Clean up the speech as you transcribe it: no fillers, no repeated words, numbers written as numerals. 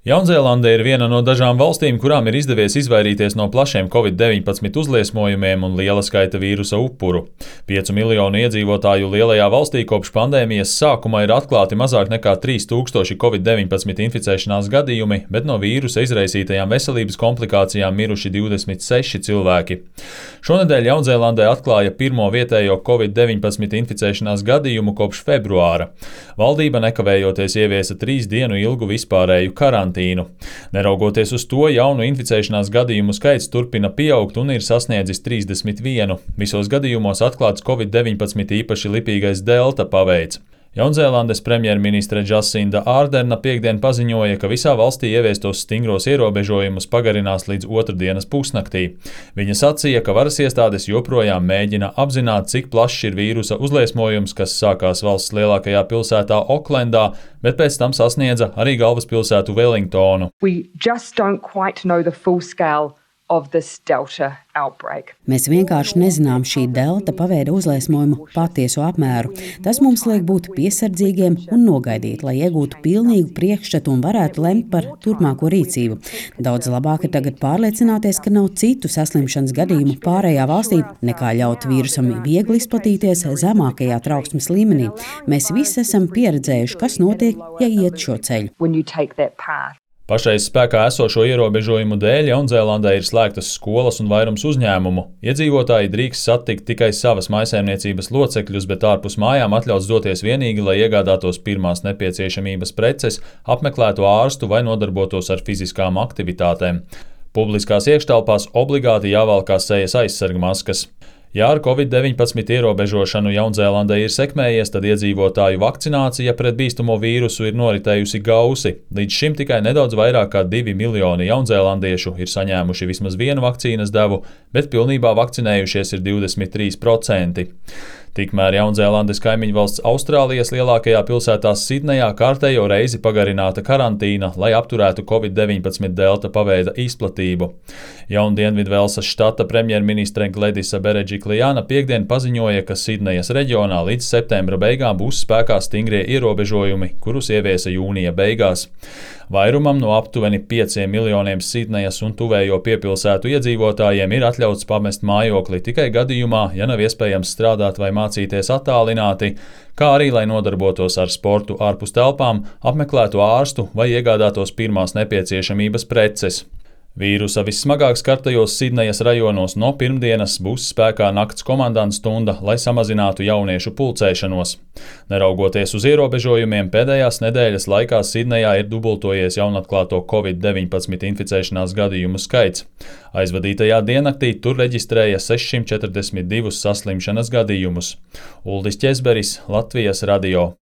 Jaunzēlande ir viena no dažām valstīm, kurām ir izdevies izvairīties no plašiem Covid-19 uzliesmojumiem un liela skaita vīrusa upuru. 5 miljonu iedzīvotāju lielajā valstī kopš pandēmijas sākuma ir atklāti mazāk nekā 3000 Covid-19 inficēšanās gadījumi, bet no vīrusa izraisītajām veselības komplikācijām miruši 26 cilvēki. Šonedēļ Jaunzēlandē atklāja pirmo vietējo Covid-19 inficēšanās gadījumu kopš februāra. Valdība nekavējoties ieviesa 3 dienu ilgu vispārēju karantīnu. Neraugoties uz to, jaunu inficēšanās gadījumu skaits turpina pieaugt un ir sasniedzis 31. Visos gadījumos atklāts Covid-19 īpaši lipīgais delta paveids. Jaunzēlandes premjerministre Džasinda Ārderna piektdien paziņoja, ka visā valstī ieviestos stingros ierobežojumus pagarinās līdz otrdienas pusnaktī. Viņa sacīja, ka varas iestādes joprojām mēģina apzināt, cik plašs ir vīrusa uzliesmojums, kas sākās valsts lielākajā pilsētā Oklendā, bet pēc tam sasniedza arī galvaspilsētu Wellingtonu. Mēs vienkārši nezinām šī delta paveida uzliesmojumu patieso apmēru. Tas mums liek būt piesardzīgiem un nogaidīt, lai iegūtu pilnīgu priekšstatu un varētu lemt par turpmāko rīcību. Daudz labāk ir tagad pārliecināties, ka nav citu saslimšanas gadījumu pārējā valstī, nekā ļaut vīrusam viegli izplatīties zemākajā trauksmes līmenī. Mēs visi esam pieredzējuši, kas notiek, ja iet šo ceļu. Pašreiz spēkā esošo ierobežojumu dēļ Jaunzēlandē ir slēgtas skolas un vairums uzņēmumu. Iedzīvotāji drīkst satikt tikai savas mājsaimniecības locekļus, bet ārpus mājām atļauts doties vienīgi, lai iegādātos pirmās nepieciešamības preces, apmeklētu ārstu vai nodarbotos ar fiziskām aktivitātēm. Publiskās iekštelpās obligāti jāvalkā sejas aizsargmaskas. Ja ar Covid-19 ierobežošanu Jaunzēlandē ir sekmējies, tad iedzīvotāju vakcinācija pret bīstamo vīrusu ir noritējusi gausi. Līdz šim tikai nedaudz vairāk kā 2 miljoni jaunzēlandiešu ir saņēmuši vismaz vienu vakcīnas devu, bet pilnībā vakcinējušies ir 23%. Tikmēr Jaunzēlandes kaimiņvalsts Austrālijas lielākajā pilsētā Sidnejā kārtējo reizi pagarināta karantīna, lai apturētu Covid-19 delta paveida izplatību. Jaundienvidvelsas štata premjerministre Gledisa Beredžiklijāna piektdien paziņoja, ka Sidnejas reģionā līdz septembra beigām būs spēkā stingrie ierobežojumi, kurus ieviesa jūnija beigās. Vairumam no aptuveni 5 miljoniem Sidnejas un tuvējo piepilsētu iedzīvotājiem ir atļauts pamest mājokli tikai gadījumā, ja nav iespējams strādāt vai mācīties attālināti, kā arī, lai nodarbotos ar sportu ārpus telpām, apmeklētu ārstu vai iegādātos pirmās nepieciešamības preces. Vīrusa vissmagāk skartajos Sidnejas rajonos no pirmdienas būs spēkā nakts komandanta stunda, lai samazinātu jauniešu pulcēšanos. Neraugoties uz ierobežojumiem, pēdējās nedēļas laikā Sidnejā ir dubultojies jaunatklāto Covid-19 inficēšanās gadījumu skaits. Aizvadītajā diennaktī tur reģistrēja 642 saslimšanas gadījumus. Uldis Ķezberis, Latvijas radio.